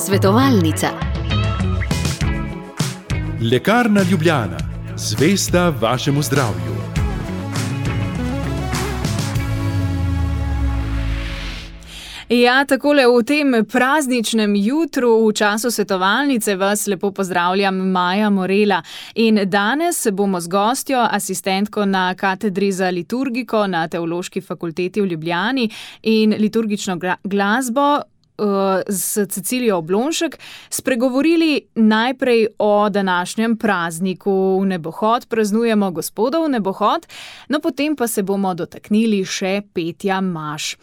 Svetovalnica. Lekarna Ljubljana, zvesta vašemu zdravju. Ja, takole v tem prazničnem jutru v času svetovalnice vas lepo pozdravljam, Maja Morela. In danes bomo z gostjo, asistentko na katedri za liturgiko na Teološki fakulteti v Ljubljani in liturgično glasbo s Cecilijo Oblonšek spregovorili najprej o današnjem prazniku. V nebohod praznujemo Gospodov nebohod, no potem pa se bomo dotaknili še petja maš.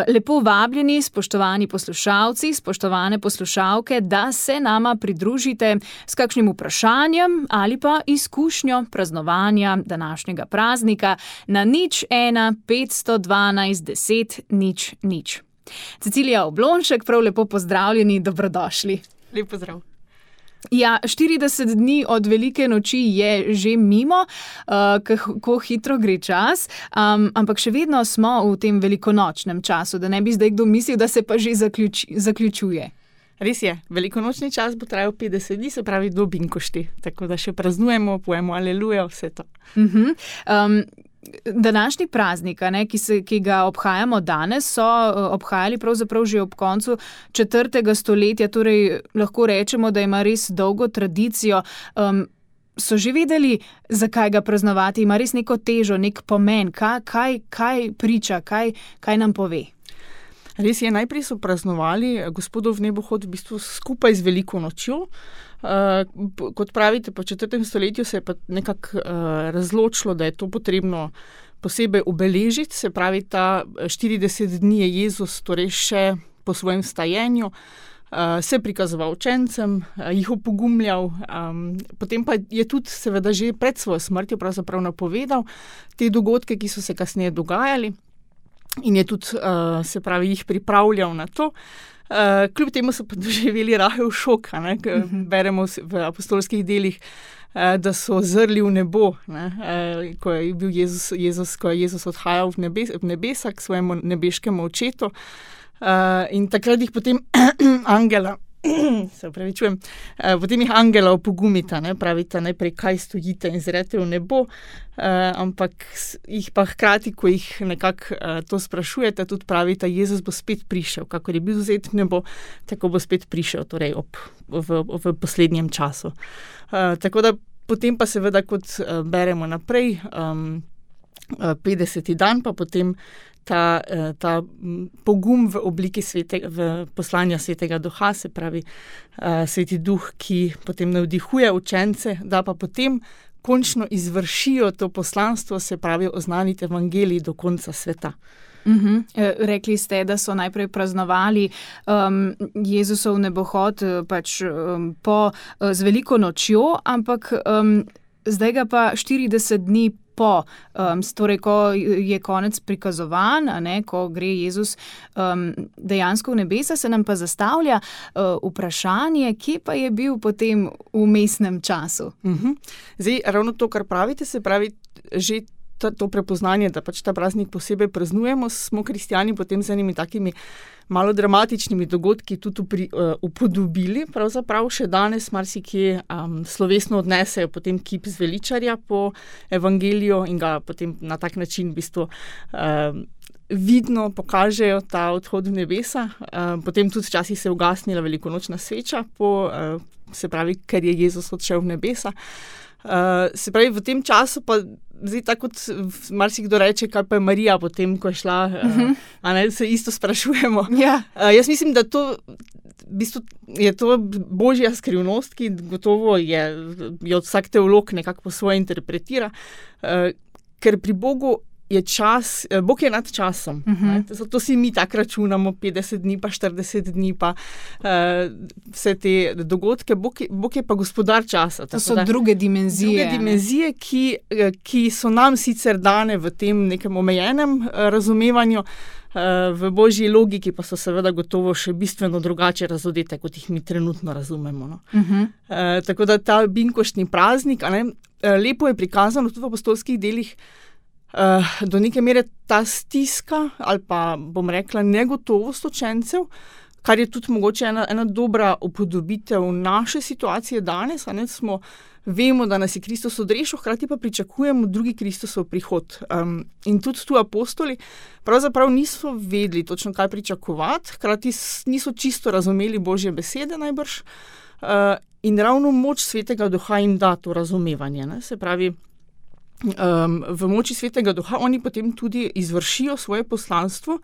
Lepo vabljeni, spoštovani poslušalci, spoštovane poslušalke, da se nama pridružite s kakšnim vprašanjem ali pa izkušnjo praznovanja današnjega praznika na 01 512 10 000. Cecilija Oblonšek, prav lepo pozdravljeni, dobrodošli. Lep pozdrav. Ja, 40 dni od velike noči je že mimo, kako hitro gre čas, ampak še vedno smo v tem velikonočnem času, da ne bi zdaj kdo mislil, da se pa že zaključuje. Res je, velikonočni čas bo trajal 50 dni, se pravi do binkošti, tako da še praznujemo, pojemo aleluja, vse to. Današnji praznik, ki ga obhajamo danes, so obhajali pravzaprav že ob koncu 4. stoletja, torej lahko rečemo, da ima res dolgo tradicijo. So že vedeli, zakaj ga praznovati, ima res neko težo, nek pomen, kaj priča, kaj nam pove? Res je, najprej so praznovali Gospodov nebohod v bistvu skupaj z veliko nočjo. Kot pravite, po 4. stoletju se je pa nekako razločilo, da je to potrebno posebej obeležiti, se pravi, ta 40 dni je Jezus torej še po svojem vstajenju se prikazoval učencem, jih opogumljal, potem pa je tudi seveda že pred svojo smrtjo pravzaprav napovedal te dogodke, ki so se kasneje dogajali. In je tudi, se pravi, jih pripravljal na to. Kljub temu so pa doživeli rahel šok, beremo v apostolskih delih, da so zrli v nebo, ko je bil Jezus odhajal v nebesa k svojemu nebeškemu očetu. In takrat jih potem potem jih angela opogumita, pravita najprej, kaj stojite in zrete v nebo, ampak jih pa hkrati, ko jih nekako to sprašujete, tudi pravita, Jezus bo spet prišel, kakor je bil vzet v nebo, tako bo spet prišel, torej v poslednjem času. Tako da potem pa seveda, kot beremo naprej, 50. dan pa potem ta pogum v obliki v poslanja Svetega Duha, se pravi Sveti Duh, ki potem navdihuje učence, da pa potem končno izvršijo to poslanstvo, se pravi oznaniti evangelij do konca sveta. Rekli ste, da so najprej praznovali Jezusov nebohod z veliko nočjo, ampak zdaj ga pa 40 dni torej ko je konec prikazovan, ko gre Jezus dejansko v nebesa, se nam pa zastavlja vprašanje, kje pa je bil potem v vmesnem času. Zdaj, ravno to, kar pravite, se pravi, že to prepoznanje, da pač ta praznik posebej praznujemo, smo kristjani potem z enimi takimi malo dramatičnimi dogodki tudi upodobili. Pravzaprav še danes marsikje slovesno odnesejo potem kip zveličarja po evangeliju in ga potem na tak način v bistvu vidno pokažejo ta odhod v nebesa. Potem tudi včasih se je ugasnila velikonočna sveča, se pravi, ker je Jezus odšel v nebesa. Se pravi, v tem času pa zdaj tako, kot marsikdo reče, kaj pa je Marija potem, ko je šla, se isto sprašujemo. Ja. Jaz mislim, da to v bistvu je to božja skrivnost, ki gotovo jo vsak teolog nekako po svoje interpretira, ker pri Bogu je čas, Bog je nad časom. Zato si mi tako računamo 50 dni, pa 40 dni, pa vse te dogodke. Bog je pa gospodar časa. To so druge dimenzije. Druge dimenzije, ki so nam sicer dane v tem nekem omejenem razumevanju, v božji logiki pa so seveda gotovo še bistveno drugače razodete, kot jih mi trenutno razumemo. Tako da ta binkoštni praznik, lepo je prikazano tudi v apostolskih delih, do neke mere ta stiska ali pa, bom rekla, negotovost učencev, kar je tudi mogoče ena dobra upodobitev naše situacije danes, vemo, da nas je Kristus odrešil, hkrati pa pričakujemo drugi Kristusov prihod. In tudi tu apostoli pravzaprav niso vedeli točno, kaj pričakovati, hkrati niso čisto razumeli Božje besede najbrž. In ravno moč Svetega Duha jim da to razumevanje. Ne? Se pravi, v moči Svetega Duha oni potem tudi izvršijo svoje poslanstvo,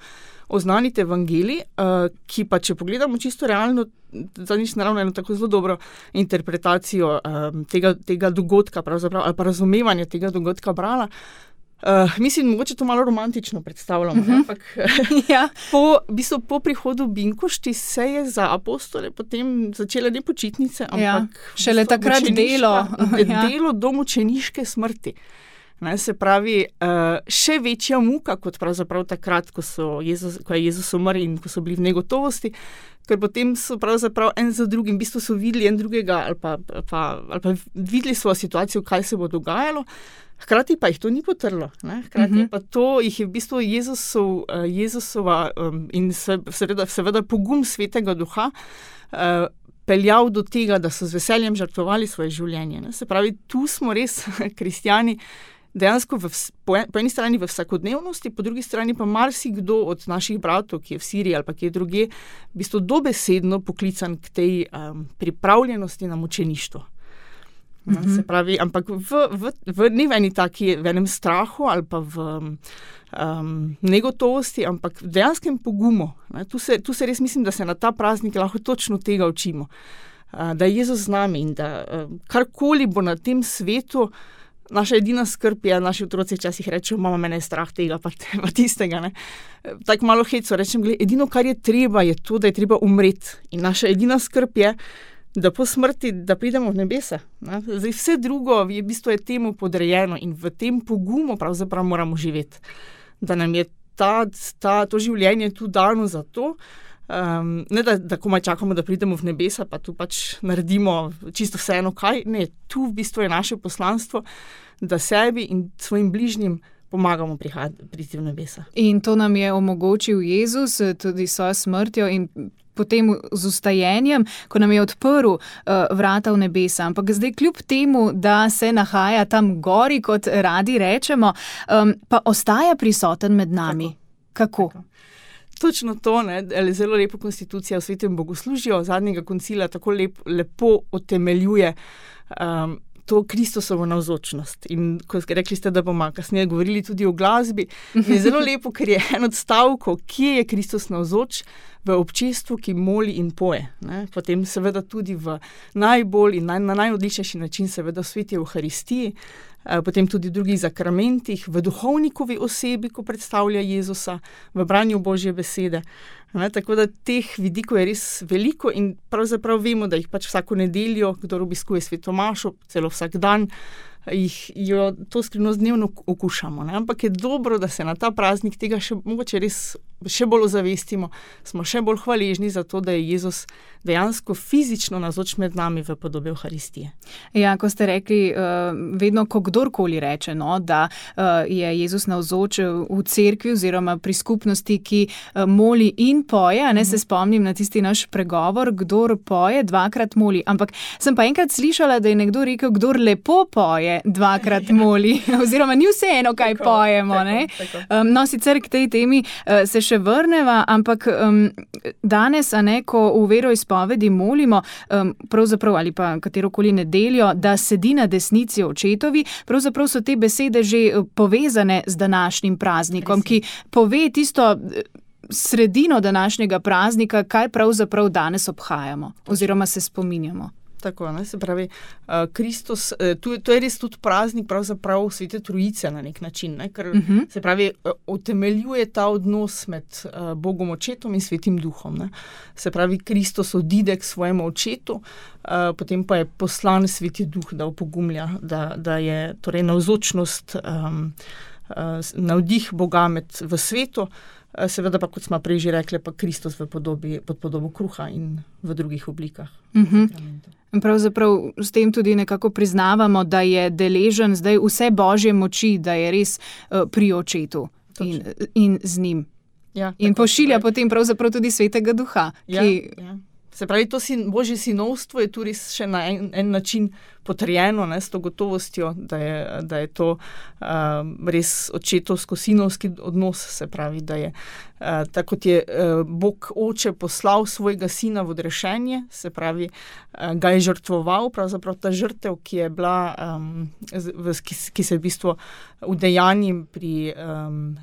oznaniti evangelij, ki pa, če pogledamo čisto realno, zadnjič naravno eno tako zelo dobro interpretacijo tega dogodka, pravzaprav, ali pa razumevanje tega dogodka brala. Mislim, mogoče to malo romantično predstavljamo, ampak ja. po prihodu Binkošti se je za apostole potem začele ne počitnice, ampak šele takrat delo do mučeniške smrti. Ne, se pravi, še večja muka kot pravzaprav takrat, ko je Jezus umrl in ko so bili v negotovosti, ker potem so pravzaprav en za drugim, v bistvu so videli en drugega ali pa videli svojo situacijo, kaj se bo dogajalo, hkrati pa jih to ni potrlo. Ne? Hkrati pa to jih je v bistvu Jezusova in seveda pogum Svetega Duha peljal do tega, da so z veseljem žrtvovali svoje življenje. Ne? Se pravi, tu smo res kristjani dejansko po eni strani v vsakodnevnosti, po drugi strani pa marsikdo od naših bratov, ki je v Siriji ali pa ki je drugje, v bistvu dobesedno poklican k tej pripravljenosti na mučeništvo. Se pravi, ampak ne v eni taki, v enem strahu ali pa v negotovosti, ampak v dejanskem pogumu. Ne? Tu se res mislim, da se na ta praznik lahko točno tega učimo. Da je Jezus z nami in da karkoli bo na tem svetu, naša edina skrb je, naši otroci včasih rečejo, mama, mene je strah tega pa tistega. Tako malo heco rečem, edino, kar je treba, je to, da je treba umreti. In naša edina skrb je, da po smrti, da pridemo v nebesa. Zdaj, vse drugo je v bistvu temu podrejeno in v tem pogumu pravzaprav moramo živeti. Da nam je to življenje tu dano za to, ne da komaj čakamo, da pridemo v nebesa, pa tu pač naredimo čisto vseeno kaj. Ne, tu v bistvu je naše poslanstvo, da sebi in svojim bližnjim pomagamo priti v nebesa. In to nam je omogočil Jezus tudi s svojo smrtjo in potem z ustajenjem, ko nam je odprl vrata v nebesa. Ampak zdaj kljub temu, da se nahaja tam gori, kot radi rečemo, pa ostaja prisoten med nami. Kako? Točno to, zelo lepo konstitucija v Svetem bogoslužju zadnjega koncila tako lepo utemeljuje to Kristusovo navzočnost. In ko rekli ste, da bomo kasneje govorili tudi o glasbi, je zelo lepo, ker je en od stavkov, kje je Kristus navzoč, v občestvu, ki moli in poje. Ne? Potem seveda tudi v najbolj in na najodličnejši način seveda v sveti Evharistiji, potem tudi v drugih zakramentih, v duhovnikovi osebi, ko predstavlja Jezusa, v branju Božje besede. Ne? Tako da teh vidikov je res veliko in pravzaprav vemo, da jih pač vsako nedeljo, kdor obiskuje sveto mašo, celo vsak dan, jo to skrivnost dnevno okušamo. Ne? Ampak je dobro, da se na ta praznik tega mogoče res še bolj ozavestimo, smo še bolj hvaležni za to, da je Jezus dejansko fizično navzoč med nami v podobi Evharistije. Ja, ko ste rekli, vedno, ko kdorkoli reče, da je Jezus navzoč v cerkvi oziroma pri skupnosti, ki moli in poje, se spomnim na tisti naš pregovor, kdor poje, dvakrat moli. Ampak sem pa enkrat slišala, da je nekdo rekel, kdor lepo poje, dvakrat moli. Oziroma ni vseeno, kaj pojemo. Tako. No, sicer k tej temi se še vrneva, ampak danes, ko v veroizpovedi molimo, pravzaprav ali pa katerokoli nedeljo, da sedi na desnici očetovi, pravzaprav so te besede že povezane z današnjim praznikom, ki pove tisto sredino današnjega praznika, kaj pravzaprav danes obhajamo oziroma se spominjamo. Tako, se pravi, Kristus, to je res tudi praznik pravzaprav Svete Trojice na nek način, ker se pravi, utemeljuje ta odnos med Bogom Očetom in Svetim Duhom. Se pravi, Kristus odide k svojemu Očetu, potem pa je poslan Sveti Duh, da opogumlja, da je torej navzočnost, navdih Boga v svetu, seveda pa, kot smo prej že rekli, pa Kristus pod podobo kruha in v drugih oblikah. Pravzaprav s tem tudi nekako priznavamo, da je deležen zdaj vse Božje moči, da je res pri Očetu in z njim. In pošilja potem pravzaprav tudi Svetega Duha. Se pravi, to Božje sinovstvo je tu res še na en način potrjeno, s to gotovostjo, da je to res očetovsko-sinovski odnos, se pravi, da je tako kot je Bog Oče poslal svojega sina v odrešenje, se pravi, ga je žrtvoval, pravzaprav ta žrtev, ki je bila, ki se v bistvu udejanji pri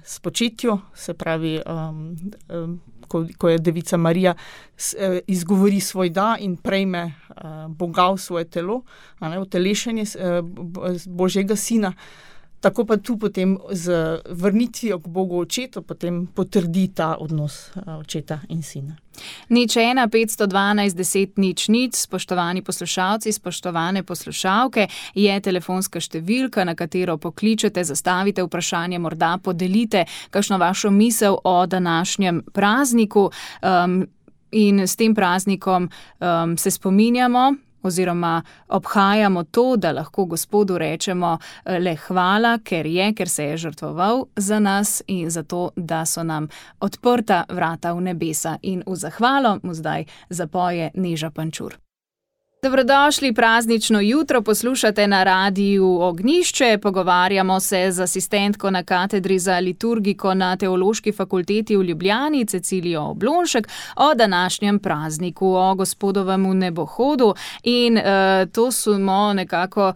spočetju, se pravi, ko je devica Marija izgovori svoj da in prejme Boga v svoje telo, utelešenje Božjega sina, tako pa tu potem z vrnitvijo k Bogu Očetu potem potrdi ta odnos očeta in sina. 01 512 10 00, spoštovani poslušalci, spoštovane poslušalke, je telefonska številka, na katero pokličete, zastavite vprašanje, morda podelite kakšno vašo misel o današnjem prazniku. In s tem praznikom se spominjamo oziroma obhajamo to, da lahko Gospodu rečemo le hvala, ker se je žrtvoval za nas in za to, da so nam odprta vrata v nebesa. In v zahvalo mu zdaj zapoje Neža Pančur. Dobrodošli, praznično jutro poslušate na Radiu Ognjišče. Pogovarjamo se z asistentko na katedri za liturgiko na Teološki fakulteti v Ljubljani, Cecilijo Oblonšek, o današnjem prazniku, o Gospodovemu nebohodu. In to smo nekako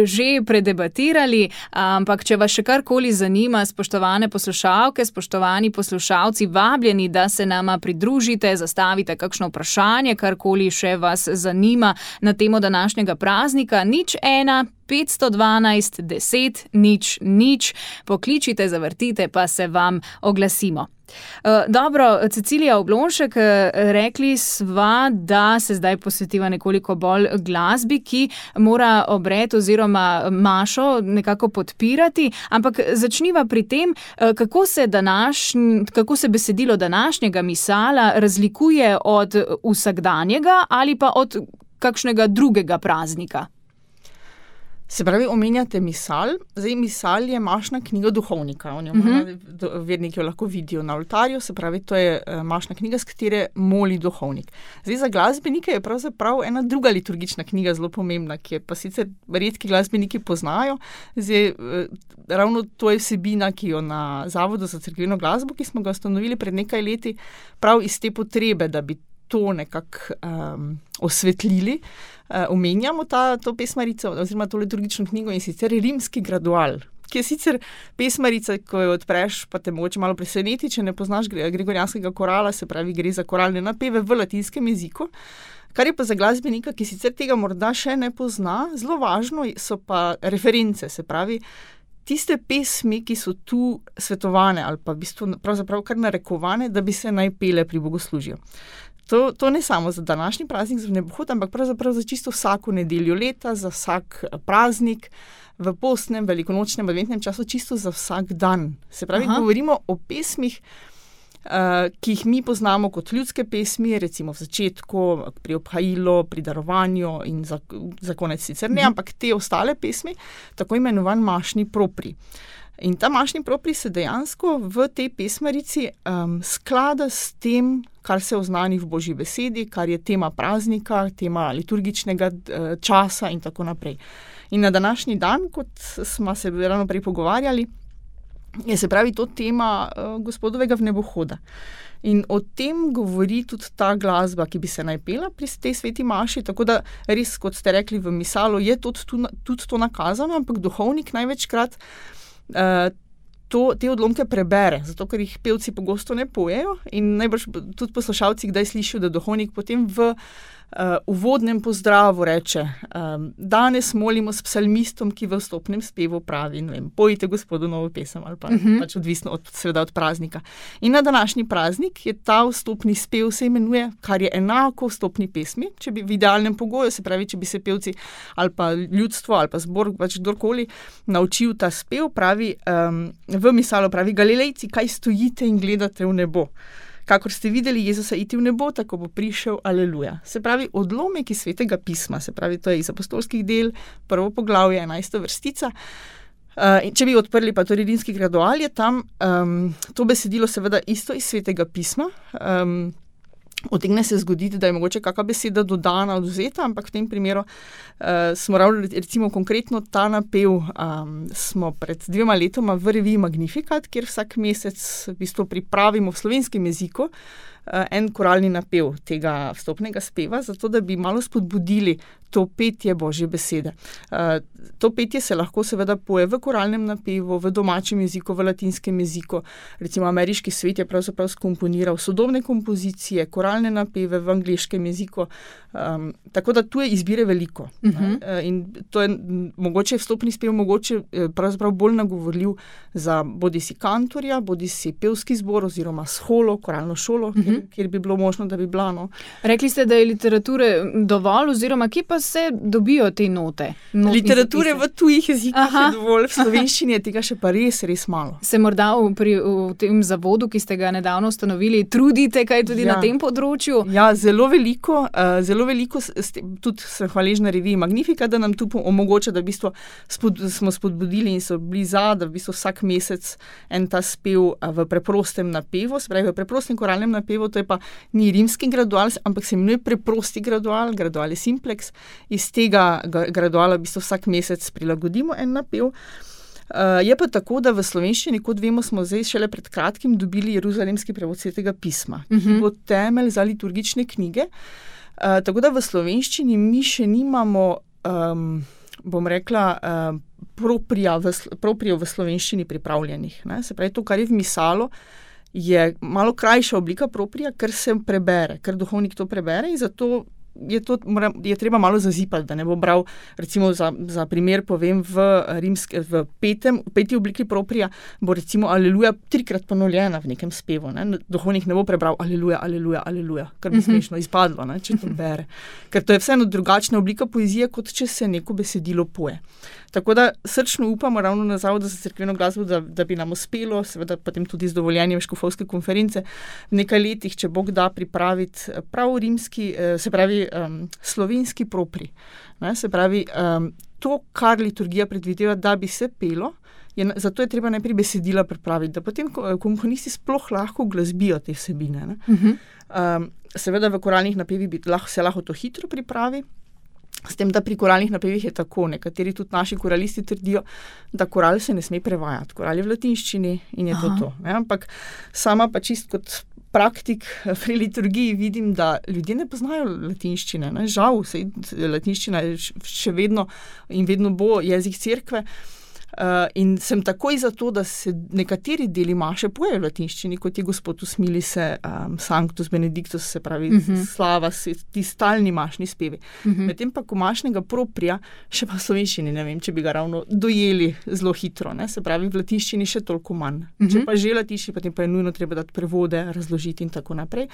že predebatirali, ampak če vas še karkoli zanima, spoštovane poslušalke, spoštovani poslušalci, vabljeni, da se nama pridružite, zastavite kakšno vprašanje, karkoli še vas zanima na temo današnjega praznika. 01 512 10 00, pokličite, zavrtite, pa se vam oglasimo. Dobro, Cecilija Oblonšek, rekli sva, da se zdaj posvetiva nekoliko bolj glasbi, ki mora obred oziroma mašo nekako podpirati, ampak začniva pri tem, kako se besedilo današnjega misala razlikuje od vsakdanjega ali pa od kakšnega drugega praznika. Se pravi, omenjate misal. Zdaj, misal je mašna knjiga duhovnika. Verniki jo lahko vidijo na oltarju, se pravi, to je mašna knjiga, s katere moli duhovnik. Zdaj, za glasbenike je pravzaprav ena druga liturgična knjiga zelo pomembna, ki je pa sicer redki glasbeniki poznajo. Zdaj, ravno to je vsebina, ki jo na Zavodu za cerkveno glasbo, ki smo ga ustanovili pred nekaj leti, prav iz te potrebe, da bi to nekako osvetlili, omenjamo to pesmarico oziroma to liturgično knjigo, in sicer Rimski gradual, ki je sicer pesmarica, ko jo odpreš, pa te mogoče malo preseneti, če ne poznaš gregorijanskega korala, se pravi, gre za koralne napeve v latinskem jeziku. Kar je pa za glasbenika, ki sicer tega morda še ne pozna, zelo važno so pa reference, se pravi, tiste pesmi, ki so tu svetovane ali pa v bistvu pravzaprav kar narekovane, da bi se naj pele pri bogoslužju. To ne samo za današnji praznik, za nebohod, ampak pravzaprav za čisto vsako nedeljo leta, za vsak praznik, v postnem, velikonočnem, adventnem času, čisto za vsak dan. Se pravi, govorimo o pesmih, ki jih mi poznamo kot ljudske pesmi, recimo v začetku, pri obhajilu, pri darovanju in za konec sicer ne, ampak te ostale pesmi, tako imenovan mašni propri. In ta mašni propri se dejansko v tej pesmarici sklada s tem, kar se oznani v Božji besedi, kar je tema praznika, tema liturgičnega časa in tako naprej. In na današnji dan, kot smo se ravno prej pogovarjali, je se pravi to tema Gospodovega vnebohoda. In o tem govori tudi ta glasba, ki bi se naj pela pri tej sveti maši, tako da res, kot ste rekli v misalu, je tudi to nakazano, ampak duhovnik največkrat te odlomke prebere, zato ker jih pevci pogosto ne pojejo, in najbrž tudi poslušalci kdaj slišijo, da duhovnik potem v uvodnem pozdravu reče: danes molimo s psalmistom, ki v vstopnem spevu pravi, ne vem, pojite Gospodu novo pesem, ali pa pač odvisno seveda od praznika. In na današnji praznik je ta vstopni spev se imenuje, kar je enako vstopni pesmi, če bi v idealnem pogoju, se pravi, če bi se pevci ali pa ljudstvo ali pa zbor, pač kdorkoli naučil ta spev, pravi, v misalu pravi: Galilejci, kaj stojite in gledate v nebo? Kakor ste videli Jezusa iti v nebo, tako bo prišel, aleluja. Se pravi, odlomek iz Svetega pisma, se pravi, to je iz apostolskih del, 1. poglavje, 11. vrstica, Če bi odprli pa torej rimski gradual, je tam to besedilo seveda isto iz Svetega pisma. Utegne se zgoditi, da je mogoče kakšna beseda dodana, odvzeta, ampak v tem primeru smo ravno, recimo konkretno ta napev smo pred 2 letoma v reviji Magnificat, kjer vsak mesec v bistvu pripravimo v slovenskem jeziku en koralni napev tega vstopnega speva, zato da bi malo spodbudili to petje Božje besede. To petje se lahko seveda poje v koralnem napevu, v domačem jeziku, v latinskem jeziku. Recimo ameriški svet je pravzaprav skomponiral sodobne kompozicije, koralne napeve v angleškem jeziku, tako da tu je izbire veliko. In to je mogoče vstopni spev, mogoče pravzaprav bolj nagovorljiv za bodisi kantorja, bodisi pevski zbor oziroma sholo, koralno šolo, kjer bi bilo možno, da bi bila. No. Rekli ste, da je literature dovolj, oziroma kje pa se dobijo te note? Literature v tujih jezikih je dovolj, v slovenščini je tega še pa res malo. Se morda v tem zavodu, ki ste ga nedavno ustanovili, trudite kaj tudi na tem področju? Ja, zelo veliko, tudi sem hvaležna reviji Magnificat, da nam tu omogoča, da v bistvu smo spodbudili in so bili da v bistvu vsak mesec en ta spev v preprostem napevu, se pravi v preprostem koralnem napevu, to je pa ni rimski gradual, ampak se imenuje preprosti gradual, gradual je simplex. Iz tega graduala v bistvu vsak mesec prilagodimo en napev. Je pa tako, da v slovenščini, kot vemo, smo zdaj šele pred kratkim dobili jeruzalemski prevod Svetega pisma, ki bo temelj za liturgične knjige. Tako da v slovenščini mi še nimamo, bom rekla, proprijo v slovenščini pripravljenih. Ne? Se pravi, to, kar je v misalu, je malo krajša oblika proprija, ker se prebere, ker duhovnik to prebere in zato je treba malo zazipati, da ne bo bral, recimo za primer povem, v peti obliki proprija bo recimo Aleluja 3-krat ponovljena v nekem spevu. Ne? Duhovnik ne bo prebral Aleluja, Aleluja, Aleluja, kar bi smešno izpadlo, ne? Če to bere. Ker to je vseeno drugačna oblika poezije, kot če se neko besedilo poje. Tako da srčno upamo ravno na Zavodu za cerkveno glasbo, da bi nam uspelo, seveda potem tudi z dovoljenjem škofovske konference, v nekaj letih, če Bog da, pripraviti prav rimski, se pravi slovenski propri. Ne? Se pravi, to, kar liturgija predvideva, da bi se pelo, zato je treba najprej besedila pripraviti, da potem komponisti sploh lahko glasbijo te vsebine. Ne? Seveda v koralnih napevih se lahko to hitro pripravi, s tem, da pri koralnih napevih je tako, nekateri tudi naši koralisti trdijo, da koral se ne sme prevajati. Koral je v latinščini in je to. Ne? Ampak sama pa čist kot praktik pri liturgiji vidim, da ljudje ne poznajo latinščine. Ne? Žal, latinščina je še vedno in vedno bo jezik cerkve. In sem takoj za to, da se nekateri deli maše pojejo v latinščini, kot je Gospod usmili se, Sanctus Benedictus, se pravi slava, ti stalni mašni spevi. Medtem pa komašnega proprija še pa v slovenščini, ne vem, če bi ga ravno dojeli zelo hitro, ne? Se pravi v latinščini še toliko manj. Če pa že latinščini, potem pa je nujno treba dati prevode, razložiti in tako naprej.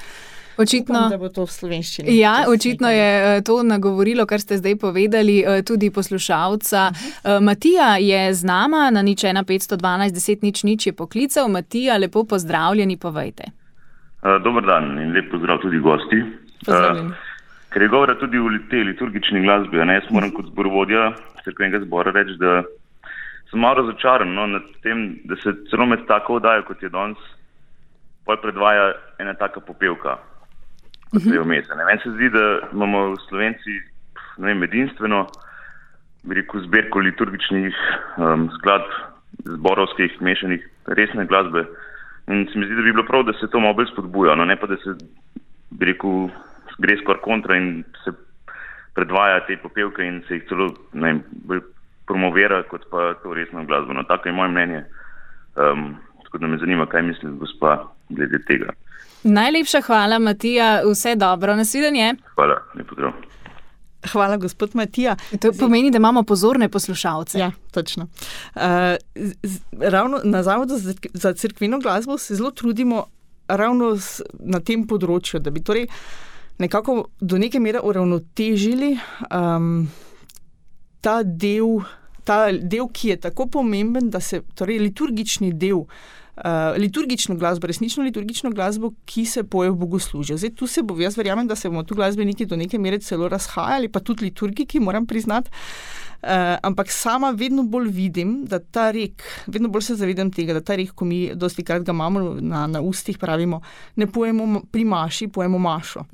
Očitno, upam, da bo to v slovenščini. Ja, očitno je to nagovorilo, kar ste zdaj povedali, tudi poslušalca. Matija je z nama, na 01 512 10 00 je poklical. Matija, lepo pozdravljeni, povejte. Dober dan in lep pozdrav tudi gosti. Pozdravljeni. Ker je govora tudi v tej liturgični glasbi, jaz moram kot zborovodja cerkvenega zbora reči, da sem malo razočaran nad tem, da se celo med tako oddajo, kot je danes, predvaja ena taka popevka. Meni se zdi, da imamo Slovenci edinstveno zbirko liturgičnih skladb, zborovskih, mešanih, resne glasbe. In se mi zdi, da bi bilo prav, da se to malo bolj spodbuja, ne pa da se gre skoraj kontra in se predvaja te popevke in se jih celo bolj promovira, kot pa to resno glasbo. Tako je moje mnenje. Tako da me zanima, kaj misli gospa glede tega. Najlepša hvala, Matija. Vse dobro. Nasvidenje. Hvala. Lep pozdrav. Hvala, gospod Matija. To pomeni, da imamo pozorne poslušalce. Ja, točno. Ravno na Zavodu za cerkveno glasbo se zelo trudimo ravno na tem področju, da bi torej nekako do neke mere uravnotežili ta del, ki je tako pomemben, da se torej liturgični del liturgično glasbo, resnično liturgično glasbo, ki se poje v bogoslužju. Zdaj, tu se bo, jaz verjamem, da se bomo tu glasbeniki do neke mere celo razhajali, pa tudi liturgiki, moram priznati. Ampak sama vedno bolj vidim, da ta rek, vedno bolj se zavedam tega, da ta rek, ko mi dosti krat ga imamo na ustih, pravimo, ne pojemo pri maši, pojemo mašo.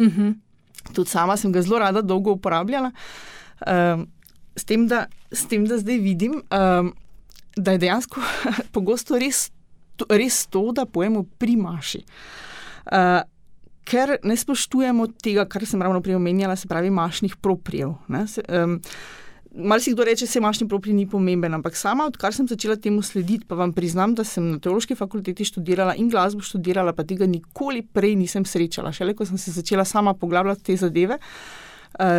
Tudi sama sem ga zelo rada dolgo uporabljala, s tem, da zdaj vidim, da je dejansko pogosto res to, da pojemo pri maši. Ker ne spoštujemo tega, kar sem ravno prej omenjala, se pravi mašnih proprijev. Malo si kdo reče, se mašni proprij ni pomemben, ampak sama, odkar sem začela temu slediti, pa vam priznam, da sem na teološki fakulteti študirala in glasbo študirala, pa tega nikoli prej nisem srečala. Šele, ko sem se začela sama poglabljati te zadeve,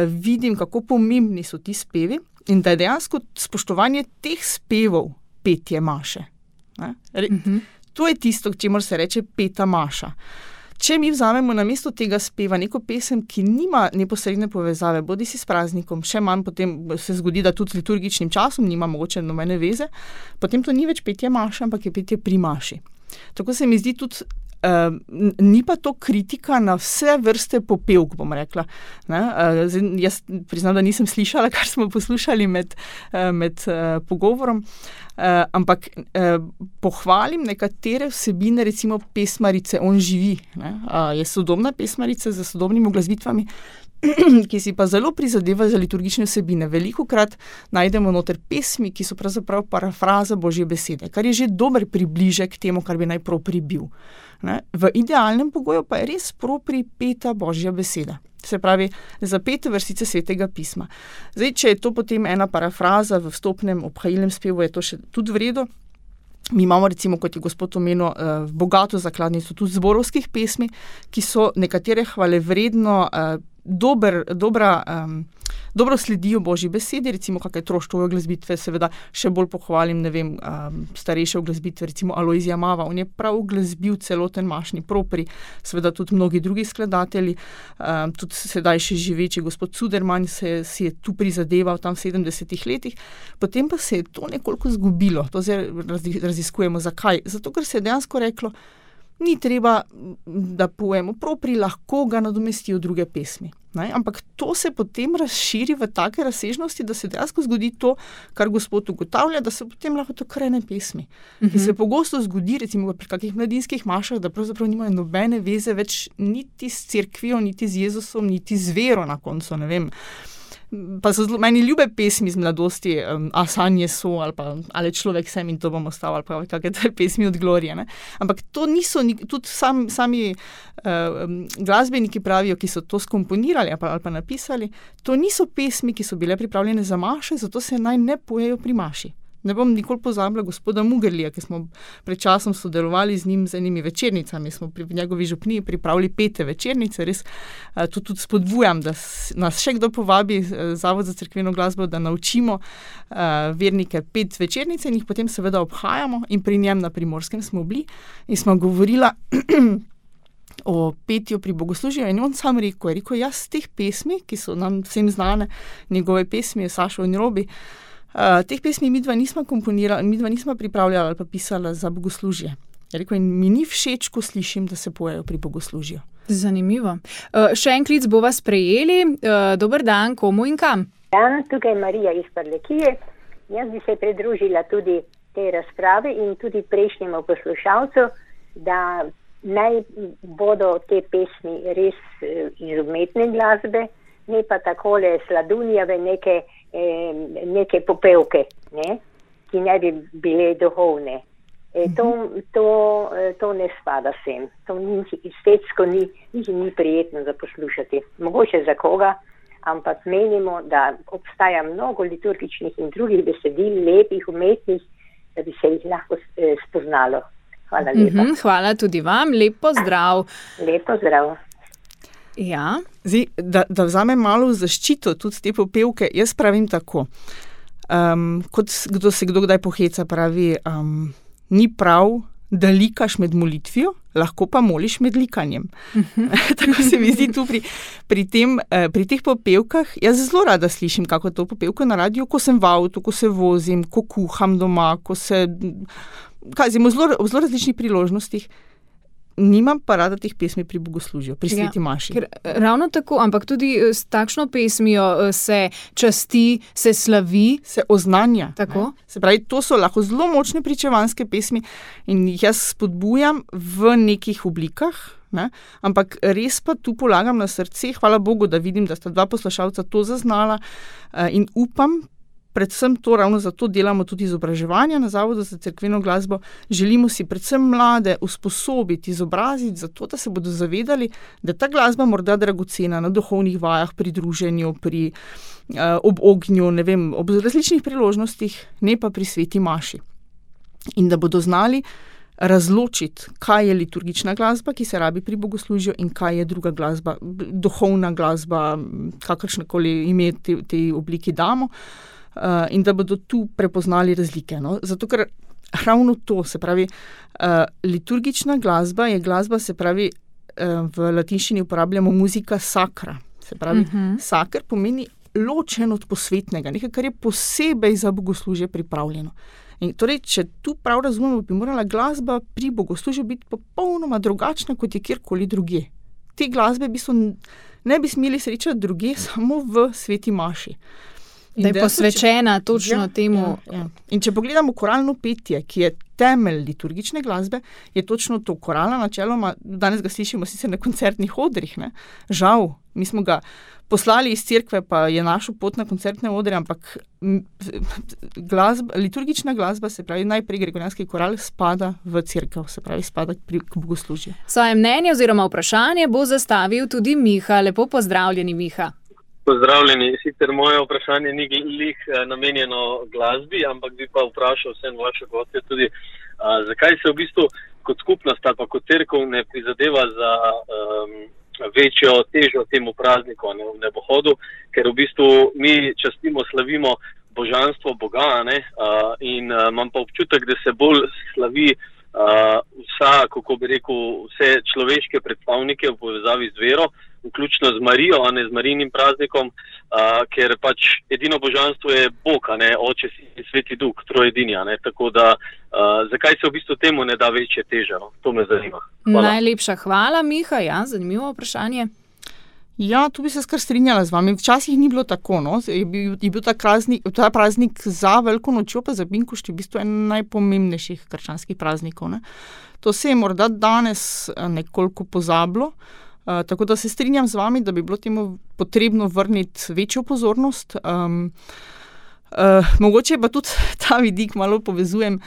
vidim, kako pomembni so ti spevi in da je dejansko spoštovanje teh spevov petje maše. To je tisto, čemur se reče peta maša. Če mi vzamemo na mesto tega speva neko pesem, ki nima neposredne povezave, bodi si s praznikom, še manj potem se zgodi, da tudi z liturgičnim časom nima mogoče nobene veze, potem to ni več petje maše, ampak je petje pri maši. Tako se mi zdi tudi, ni pa to kritika na vse vrste popevk, bom rekla. Jaz priznam, da nisem slišala, kar smo poslušali med pogovorom, ampak pohvalim nekatere vsebine, recimo pesmarice On živi. Je sodobna pesmarica z sodobnimi uglasbitvami, ki si pa zelo prizadeva za liturgične vsebine. Velikokrat najdemo noter pesmi, ki so pravzaprav parafraza Božje besede, kar je že dober približek temu, kar bi naj propri bil. V idealnem pogoju pa je res propri peta Božja beseda. Se pravi, zapete vrstice Svetega pisma. Zdaj, če je to potem ena parafraza v vstopnem obhajilnem spevu, je to še tudi v redu. Mi imamo recimo, kot je gospod omenil, bogato zakladnico tudi zborovskih pesmi, ki so nekatere hvalevredno dobro sledijo Božji besedi, recimo kakšne Troštove uglasbitve, seveda še bolj pohvalim, starejše uglasbitve, recimo Alojzija Mava, on je prav uglasbil celoten mašni propri, seveda tudi mnogi drugi skladatelji, tudi sedaj še živeči gospod Cuderman si je tu prizadeval tam v 70-ih letih, potem pa se je to nekoliko zgubilo, to zdaj raziskujemo, zakaj? Zato, ker se je dejansko reklo, ni treba, da pojemo propri, lahko ga nadomestijo druge pesmi. Ampak to se potem razširi v take razsežnosti, da se dejansko zgodi to, kar gospod ugotavlja, da se potem lahko to krene pesmi. In se pogosto zgodi, recimo pri kakih mladinskih mašah, da pravzaprav nimajo nobene veze več niti s cerkvijo, niti z Jezusom, niti z vero na koncu, ne vem. Pa so meni ljube pesmi z mladosti, A sanje so, ali človek sem in to bom ostal, ali pa kakšne pesmi od Glorije. Ampak to niso, tudi sami glasbeniki pravijo, ki so to skomponirali ali pa napisali, to niso pesmi, ki so bile pripravljene za maše, zato se naj ne pojejo pri maši. Ne bom nikoli pozabila gospoda Mugerlija, ki smo pred časom sodelovali z njim z enimi večernicami, smo pri njegovi župniji pripravili pete večernice, res to tudi spodbujam, da nas še kdo povabi, Zavod za cerkveno glasbo, da naučimo vernike pet večernice in jih potem seveda obhajamo in pri njem na Primorskem smo bili in smo govorila o petju pri bogoslužju in on sam rekel, jaz teh pesmi, ki so nam vsem znane, njegove pesmi, Sašo in Robi, teh pesmi midva nisma komponirala, midva nisma pripravljala ali pa pisala za bogoslužje. In mi ni všeč, ko slišim, da se pojejo pri bogoslužju. Zanimivo. Še en klic bova sprejeli. Dober dan, komu in kam? Dan, tukaj je Marija iz Prlekije. Jaz bi se pridružila tudi tej razpravi in tudi prejšnjemu poslušalcu, da naj bodo te pesmi res iz umetne glasbe, ne pa takole sladunjave neke popevke, ki ne bi bile duhovne. To ne spada sem. To estetsko ni prijetno za poslušati. Mogoče za koga, ampak menimo, da obstaja mnogo liturgičnih in drugih besedil, lepih, umetnih, da bi se jih lahko spoznalo. Hvala lepa. Hvala tudi vam. Lep pozdrav. Lep pozdrav. Ja. Zdaj, da vzamem malo v zaščito tudi te popevke, jaz pravim tako, kot kdo kdaj poheca, pravi, ni prav, da likaš med molitvijo, lahko pa moliš med likanjem. Tako se mi zdi tu pri teh popevkah, jaz zelo rada slišim kako to popevko na radiju, ko sem v avtu, ko se vozim, ko kuham doma, ko se v zelo različnih priložnostih, nimam pa rada teh pesmi pri bogoslužju, pri sveti maši. Ravno tako, ampak tudi s takšno pesmijo se časti, se slavi. Se oznanja. Tako. Se pravi, to so lahko zelo močne pričevanske pesmi in jih jaz spodbujam v nekih oblikah, ne? Ampak res pa tu polagam na srce, hvala Bogu, da vidim, da sta 2 poslušalca to zaznala in upam, predvsem to, ravno zato delamo tudi izobraževanja na Zavodu za cerkveno glasbo. Želimo si predvsem mlade usposobiti, izobraziti, zato da se bodo zavedali, da ta glasba morda dragocena na duhovnih vajah, pri druženju, ob ognju, ne vem, ob različnih priložnostih, ne pa pri sveti maši. In da bodo znali razločiti, kaj je liturgična glasba, ki se rabi pri bogoslužju, in kaj je druga glasba, duhovna glasba, kakršnekoli ime tej obliki damo. In da bodo tu prepoznali razlike. No? Zato, ker ravno to, se pravi, liturgična glasba je glasba, se pravi, v latinščini uporabljamo muzika sacra. Se pravi, sacr pomeni ločen od posvetnega, nekaj, kar je posebej za bogoslužje pripravljeno. In torej, če tu prav razumemo, bi morala glasba pri bogoslužju biti popolnoma drugačna, kot je kjerkoli drugje. Te glasbe ne bi smeli srečati drugje, samo v sveti maši. Da je posvečena točno temu. Ja. In če pogledamo koralno petje, ki je temelj liturgične glasbe, je točno to. Korala načeloma, danes ga slišimo sicer na koncertnih odrih, ne? Žal, mi smo ga poslali iz cerkve, pa je našel pot na koncertne odre, ampak liturgična glasba, se pravi najprej gregorijanski koral, spada v cerkev, se pravi spada k bogoslužju. Svoje mnenje oziroma vprašanje bo zastavil tudi Miha. Lepo pozdravljeni, Miha. Pozdravljeni. Sicer moje vprašanje ni glih namenjeno glasbi, ampak bi pa vprašal vsem vaše gostje tudi, zakaj se v bistvu kot skupnost ali pa kot cerkev ne prizadeva za večjo težo temu prazniku, v nebohodu, ker v bistvu mi častimo, slavimo božanstvo Boga, ne? In imam pa občutek, da se bolj slavi vse človeške predstavnike v povezavi z vero, vključno z Marijo, a ne z Marijinim praznikom, ker pač edino božanstvo je Bog, a ne Oče, Sin in Sveti Duh, trojedini, a ne, tako da zakaj se v bistvu temu ne da večje teže, no? To me zanima. Hvala. Najlepša hvala, Miha, ja, zanimivo vprašanje. Ja, tu bi se skar strinjala z vami. Včasih ni bilo tako, no. Je bil ta praznik za Veliko nočjo, pa za Binkošti v bistvu en najpomembnejših krščanskih praznikov, ne. To se je morda danes nekoliko pozabilo, tako da se strinjam z vami, da bi bilo temu potrebno vrniti večjo pozornost. Mogoče pa tudi ta vidik malo povezujem,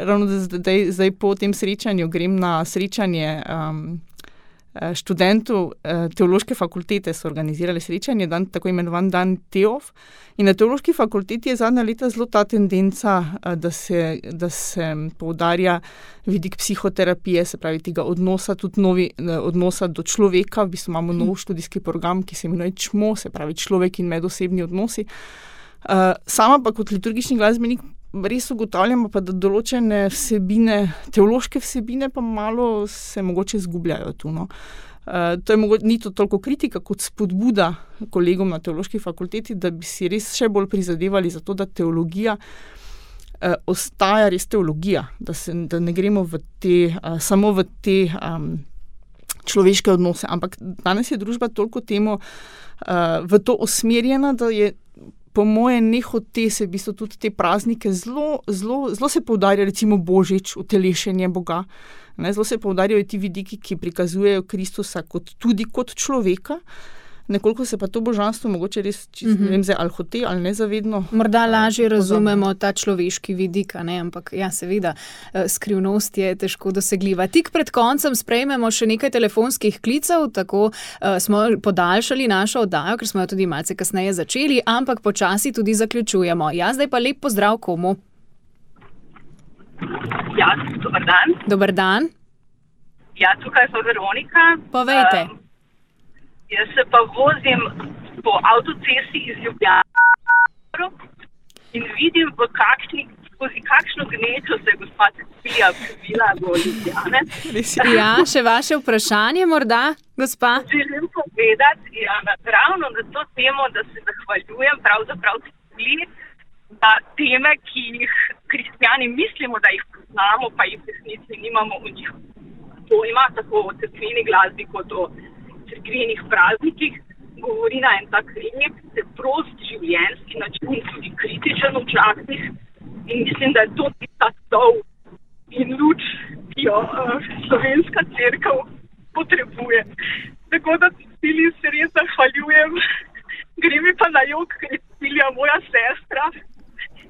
ravno zdaj po tem srečanju grem na srečanje študentov teološke fakultete, so organizirali srečanje, tako imenovan dan Teov. In na teološki fakulteti je zadnja leta zelo ta tendenca, da se poudarja vidik psihoterapije, se pravi tega odnosa, tudi odnosa do človeka. V bistvu imamo nov študijski program, ki se imenuje ČMO, se pravi človek in medosebni odnosi. Sama pa kot liturgični glasbenik res ugotavljamo pa, da določene vsebine, teološke vsebine pa malo se mogoče izgubljajo tu, no. Ni to toliko kritika kot spodbuda kolegom na teološki fakulteti, da bi si res še bolj prizadevali za to, da teologija ostaja res teologija, da ne gremo samo v te človeške odnose, ampak danes je družba toliko temu v to usmerjena, da je po moje nehote se v bistvu tudi te praznike zelo se poudarja recimo Božič, utelešenje Boga. Ne, zelo se poudarjajo ti vidiki, ki prikazujejo Kristusa tudi kot človeka. Nekoliko se pa to božanstvo mogoče res, ne vem zdaj, ali hote ali nezavedno. Morda lažje razumemo ta človeški vidik, ne? Ampak ja, seveda, skrivnost je težko dosegljiva. Tik pred koncem sprejmemo še nekaj telefonskih klicev, tako smo podaljšali našo oddajo, ker smo jo tudi malce kasneje začeli, ampak počasi tudi zaključujemo. Ja, zdaj pa lep pozdrav komu? Ja, dober dan. Dober dan. Ja, tukaj pa Veronika. Povejte. Jaz se pa vozim po avtocesti iz Ljubljane in vidim, skozi kakšno gnečo se je gospa Cecilija pribila do Ljubljane. Ja, še vaše vprašanje morda, gospa? Želim povedati, ravno na to temo, da se zahvaljujem pravzaprav Ceciliji da teme, ki jih kristjani mislimo, da jih poznamo, pa jih v resnici nimamo o njih pojma, tako o cerkveni glasbi kot o cerkvenih praznikih, govori na en tak lep, preprost življenjski način, tudi kritičen včasih. In mislim, da je to ta sol in luč, ki jo slovenska cerkev potrebuje. Tako da Ceciliji se res zahvaljujem. Gre mi pa na jok, ker je Cecilija moja sestra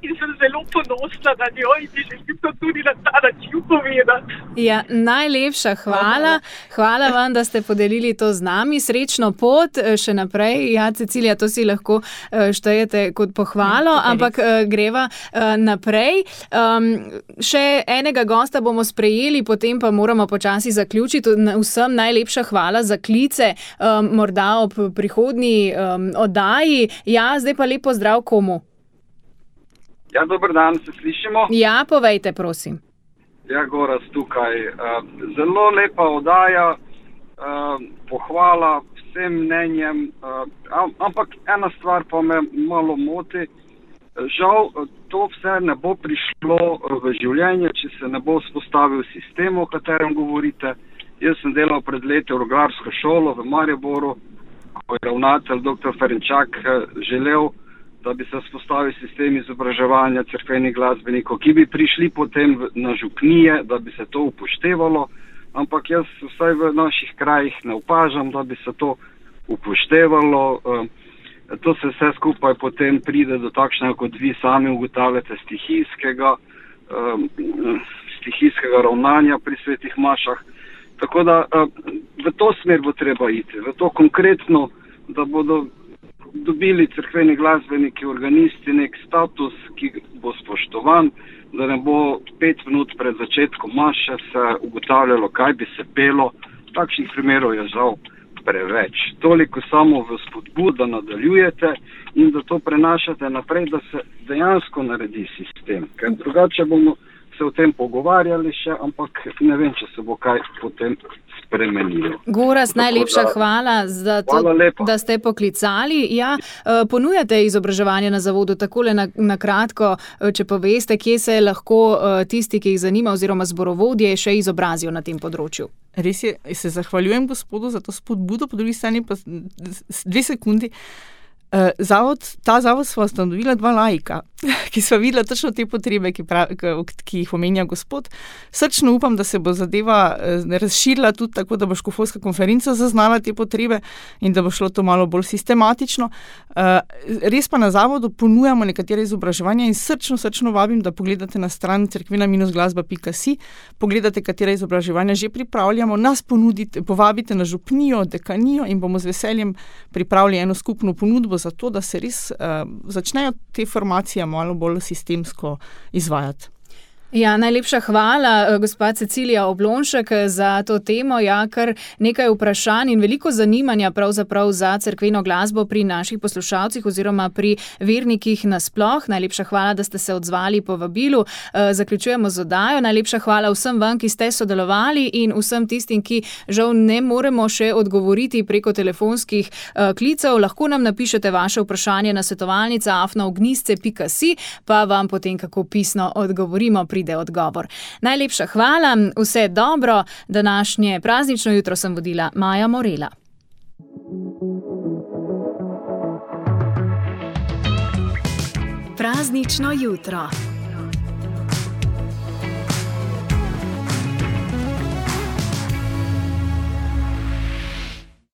in sem zelo ponosna na njo in ti želim to tudi na ta način povedati. Ja, najlepša hvala. Hvala vam, da ste podelili to z nami. Srečno pot še naprej. Ja, Cecilija, to si lahko štejete kot pohvalo, ampak greva naprej. Še enega gosta bomo sprejeli, potem pa moramo počasi zaključiti. Vsem najlepša hvala za klice, morda ob prihodnji oddaji. Ja, zdaj pa lep pozdrav komu? Ja, dober dan, se slišimo? Ja, povejte, prosim. Ja, Goraz tukaj. Zelo lepa oddaja, pohvala vsem mnenjem, ampak ena stvar pa me malo moti. Žal, to vse ne bo prišlo v življenje, če se ne bo vzpostavil sistem, o katerem govorite. Jaz sem delal pred leti v orglarsko šolo v Mariboru, ko je ravnatelj dr. Ferenčak želel, da bi se vzpostavil sistem izobraževanja cerkvenih glasbenikov, ki bi prišli potem na župnije, da bi se to upoštevalo, ampak jaz vsaj v naših krajih ne opažam, da bi se to upoštevalo. To se vse skupaj potem pride do takšnega, kot vi sami ugotavljate, stihijskega ravnanja pri svetih mašah. Tako da v to smer bo treba iti, v to konkretno, da bodo dobili cerkveni glasbeniki, organisti nek status, ki bo spoštovan, da ne bo 5 minut pred začetkom maše se ugotavljalo, kaj bi se pelo. Takšnih primerov je žal preveč. Toliko samo v spodbud, da nadaljujete in da to prenašate naprej, da se dejansko naredi sistem. Ker drugače bomo se o tem pogovarjali še, ampak ne vem, če se bo kaj potem spremenilo. Goraz, najlepša hvala za to, da ste poklicali. Ja, ponujate izobraževanje na zavodu, takole na kratko, če poveste, kje se lahko tisti, ki jih zanima, oziroma zborovodje, še izobrazijo na tem področju. Res je, se zahvaljujem gospodu za to spodbudo, po drugi strani pa 2 sekundi. Ta zavod sva ustanovila 2 laika, ki sva videla točno te potrebe, ki jih omenja gospod. Srčno upam, da se bo zadeva razširila tudi tako, da bo škofovska konferenca zaznala te potrebe in da bo šlo to malo bolj sistematično. Res pa na zavodu ponujamo nekatere izobraževanja in srčno vabim, da pogledate na stran cerkvena-glasba.si, pogledate, katere izobraževanja že pripravljamo, nas povabite na župnijo, dekanijo in bomo z veseljem pripravili eno skupno ponudbo za to, da se res začnejo te formacije malo bolj sistemsko izvajati. Ja, najlepša hvala, gospa Cecilija Oblonšek, za to temo. Ja, kar nekaj vprašanj in veliko zanimanja pravzaprav za cerkveno glasbo pri naših poslušalcih oziroma pri vernikih nasploh. Najlepša hvala, da ste se odzvali po vabilu. Zaključujemo z oddajo. Najlepša hvala vsem vam, ki ste sodelovali in vsem tistim, ki žal ne moremo še odgovoriti preko telefonskih klicev. Lahko nam napišete vaše vprašanje na svetovalnica@ognisce.si, pa vam potem kako pisno odgovorimo odgovor. Najlepša hvala, vse dobro. Današnje praznično jutro sem vodila Maja Morela. Praznično jutro.